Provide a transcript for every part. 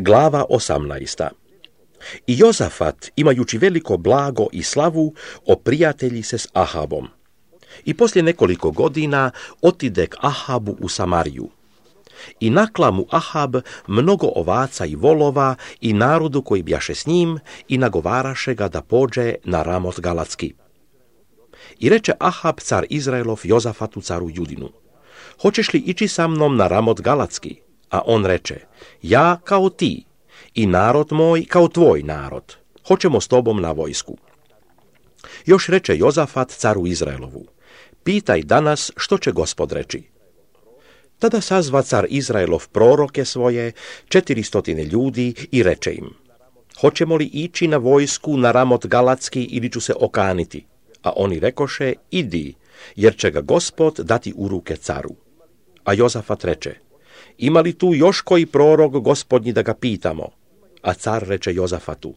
Glava 18. I Jozafat, imajući veliko blago i slavu, oprijatelji se s Ahabom. I poslije nekoliko godina otide k Ahabu u Samariju. I nakla mu Ahab mnogo ovaca i volova i narodu koji bjaše s njim i nagovaraše ga da pođe na Ramot Galatski. I reče Ahab car Izraelov Jozafatu caru Judinu: hoćeš li ići sa mnom na Ramot Galatski? A on reče: ja kao ti i narod moj kao tvoj narod. Hoćemo s tobom na vojsku. Još reče Jozafat caru Izraelovu: pitaj danas što će Gospod reći. Tada sazva car Izraelov proroke svoje, 400 ljudi, i reče im: hoćemo li ići na vojsku na Ramot Galatski ili ću se okaniti? A oni rekoše: idi, jer će ga Gospod dati u ruke caru. A Jozafat reče: ima li tu još koji prorok Gospodnji da ga pitamo? A car reče Jozafatu: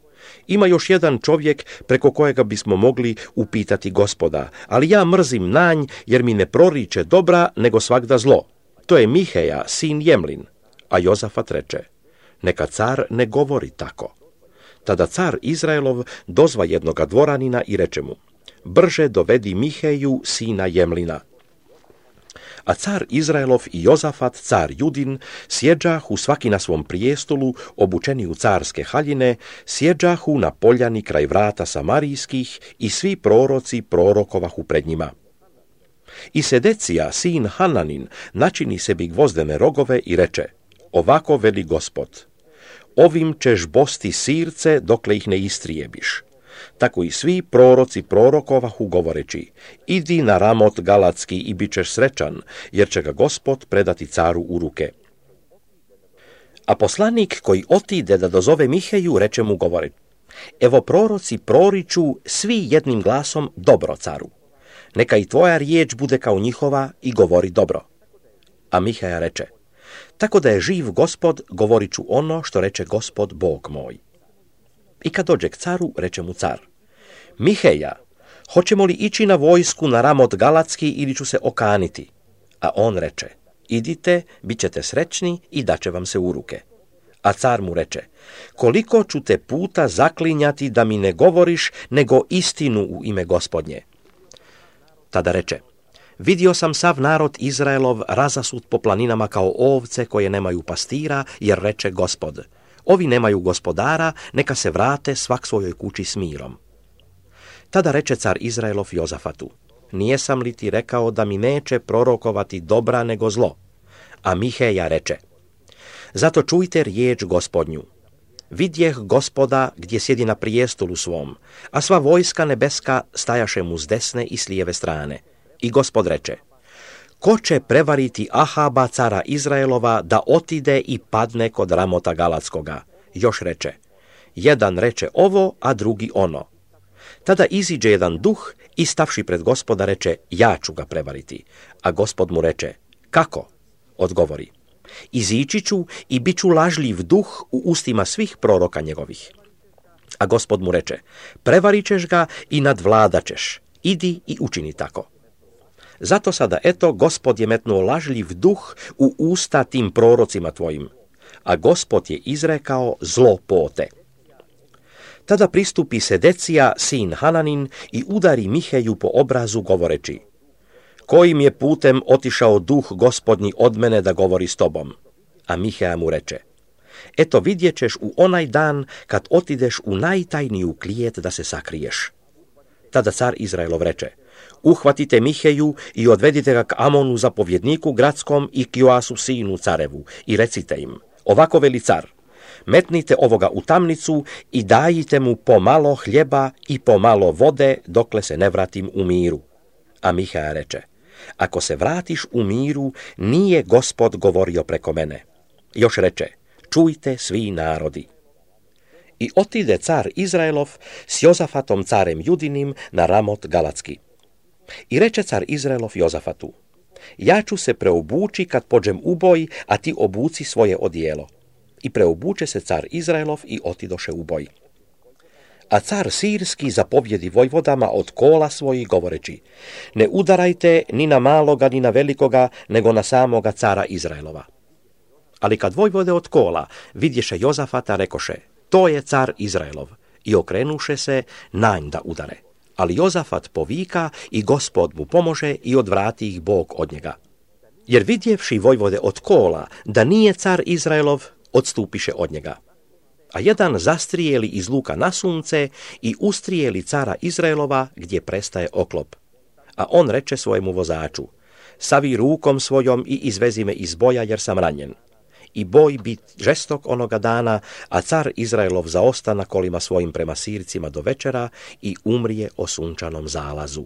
ima još jedan čovjek preko kojega bismo mogli upitati Gospoda, ali ja mrzim nanj, jer mi ne proriče dobra, nego svagda zlo. To je Miheja, sin Jemlin. A Jozafat reče: neka car ne govori tako. Tada car Izraelov dozva jednoga dvoranina i reče mu: brže dovedi Miheju, sina Jemlina. A car Izraelov i Jozafat, car Judin, sjeđahu svaki na svom prijestolu, obučeni u carske haljine, sjeđahu na poljani kraj vrata Samarijskih i svi proroci prorokovahu pred njima. I Sedecija, sin Hananin, načini sebi gvozdene rogove i reče: ovako veli Gospod: ovim ćeš bosti sirce dokle ih ne istrijebiš. Tako i svi proroci prorokovahu govoreći: idi na Ramot Galatski i bit ćeš srećan, jer će ga Gospod predati caru u ruke. A poslanik koji otide da dozove Miheju reče mu govore: evo proroci proriču svi jednim glasom dobro caru. Neka i tvoja riječ bude kao njihova i govori dobro. A Miheja reče: tako da je živ Gospod, govorit ću ono što reče Gospod Bog moj. I kad dođe k caru, reče mu car: Miheja, hoćemo li ići na vojsku na Ramot Galatski ili ću se okaniti? A on reče: idite, bit ćete srećni i daće vam se u ruke. A car mu reče: koliko ću te puta zaklinjati da mi ne govoriš nego istinu u ime Gospodnje? Tada reče: vidio sam sav narod Izraelov razasut po planinama kao ovce koje nemaju pastira, jer reče Gospod: ovi nemaju gospodara, neka se vrate svak svojoj kući s mirom. Tada reče car Izraelov Jozafatu: nijesam li ti rekao da mi neće prorokovati dobra nego zlo? A Miheja reče: zato čujte riječ Gospodnju. Vidjeh Gospoda gdje sjedi na prijestolu svom, a sva vojska nebeska stajaše mu s desne i s lijeve strane. I Gospod reče: ko će prevariti Ahaba cara Izraelova da otide i padne kod Ramota Galatskoga? Još reče: jedan reče ovo, a drugi ono. Tada iziđe jedan duh i stavši pred Gospoda reče: ja ću ga prevariti. A Gospod mu reče: kako? Odgovori: izići ću i bit ću lažljiv duh u ustima svih proroka njegovih. A Gospod mu reče: prevarit ćeš ga i nadvladaćeš. Idi i učini tako. Zato sada, eto, Gospod je metnuo lažljiv duh u usta tim prorocima tvojim, a Gospod je izrekao zlo pote. Tada pristupi Sedecija, sin Hananin, i udari Miheju po obrazu govoreći: kojim je putem otišao duh Gospodnji od mene da govori s tobom? A Miheja mu reče: eto, vidjet ćeš u onaj dan kad otideš u najtajniju klijet da se sakriješ. Tada car Izraelov reče: uhvatite Miheju i odvedite ga k Amonu zapovjedniku gradskom i k Joasu sinu carevu i recite im: ovako veli car, metnite ovoga u tamnicu i dajite mu pomalo hljeba i pomalo vode dokle se ne vratim u miru. A Miheja reče: ako se vratiš u miru, nije Gospod govorio preko mene. Još reče: čujte svi narodi. I otide car Izraelov s Jozafatom carem Judinim na Ramot Galatski. I reče car Izraelov Jozafatu: ja ću se preobući kad pođem u boj, a ti obuci svoje odijelo. I preobuče se car Izraelov i otidoše u boj. A car Sirski zapovjedi vojvodama od kola svojih govoreći: ne udarajte ni na maloga ni na velikoga, nego na samoga cara Izraelova. Ali kad vojvode od kola vidješe Jozafata, rekoše, to je car Izraelov, i okrenuše se na nj da udare. Ali Jozafat povika i Gospod mu pomože i odvrati ih Bog od njega. Jer vidjevši vojvode od kola da nije car Izraelov, odstupiše od njega. A jedan zastrijeli iz luka na sunce i ustrijeli cara Izraelova gdje prestaje oklop. A on reče svojemu vozaču, savi rukom svojom i izvezi me iz boja jer sam ranjen. I boj bit žestok onoga dana, a car Izraelov zaosta na kolima svojim prema Sircima do večera i umrije o sunčanom zalazu.